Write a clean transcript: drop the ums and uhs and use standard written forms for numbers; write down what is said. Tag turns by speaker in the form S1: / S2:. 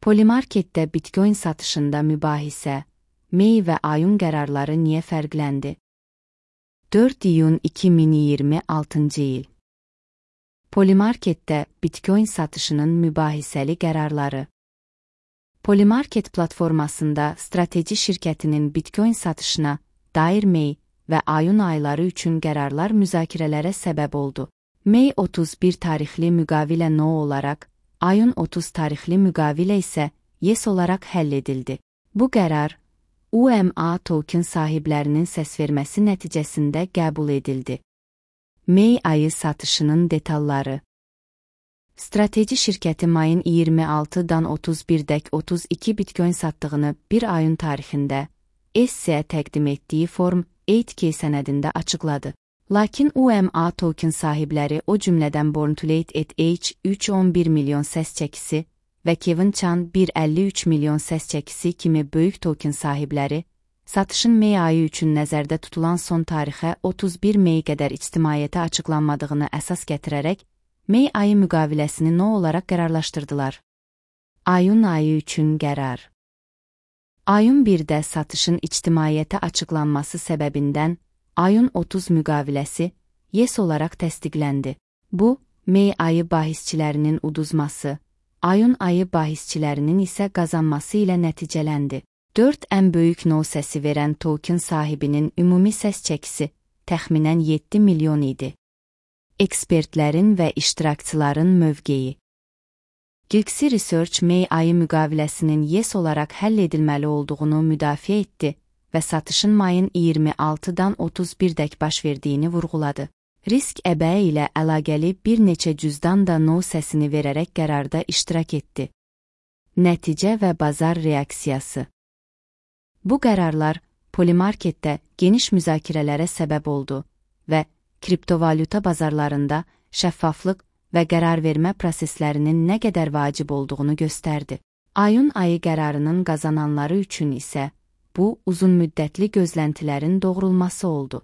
S1: Polymarketdə Bitcoin satışında mübahisə, May və ayın qərarları niyə fərqləndi? 4 iyun 2026-cı il. Polymarketdə Bitcoin satışının mübahisəli qərarları. Polymarket platformasında strateji şirkətinin Bitcoin satışına dair May və ayın ayları üçün qərarlar müzakirələrə səbəb oldu. May 31 tarixli müqavilə no olaraq, ayın 30 tarixli müqavilə isə yes olaraq həll edildi. Bu qərar, UMA token sahiblərinin səsverməsi nəticəsində qəbul edildi. May ayı satışının detalları. Strateji şirkəti mayın 26-dan 31-dək 32 Bitcoin satdığını bir ayın tarixində SEC-ə təqdim etdiyi Form 8K sənədində açıqladı. Lakin UMA token sahibləri, o cümlədən Born2Late ETH 311 milyon səs çəkisi və Kevin Chan 153 milyon səs çəkisi kimi böyük token sahibləri, satışın May ayı üçün nəzərdə tutulan son tarixə 31 May qədər ictimaiyyətə açıqlanmadığını əsas gətirərək, May ayı müqaviləsini no olaraq qərarlaşdırdılar. Ayın ayı üçün qərar. Ayın 1-də satışın ictimaiyyətə açıqlanması səbəbindən ayın 30 müqaviləsi yes olaraq təsdiqləndi. Bu, May ayı bahisçilərinin uduzması, ayın ayı bahisçilərinin isə qazanması ilə nəticələndi. 4 ən böyük no səsi verən token sahibinin ümumi səs çəkisi təxminən 7 milyon idi. Ekspertlərin və iştirakçıların mövqeyi. Gilxi Research May ayı müqaviləsinin yes olaraq həll edilməli olduğunu müdafiə etdi və satışın mayın 26-dan 31-dək baş verdiyini vurğuladı. Risk əbəyi ilə əlaqəli bir neçə cüzdan da no səsini verərək qərarda iştirak etdi. Nəticə və bazar reaksiyası. Bu qərarlar Polymarketdə geniş müzakirələrə səbəb oldu və kriptovalyuta bazarlarında şəffaflıq və qərar vermə proseslərinin nə qədər vacib olduğunu göstərdi. Ayın ayı qərarının qazananları üçün isə bu uzunmüddətli gözləntilərin doğrulması oldu.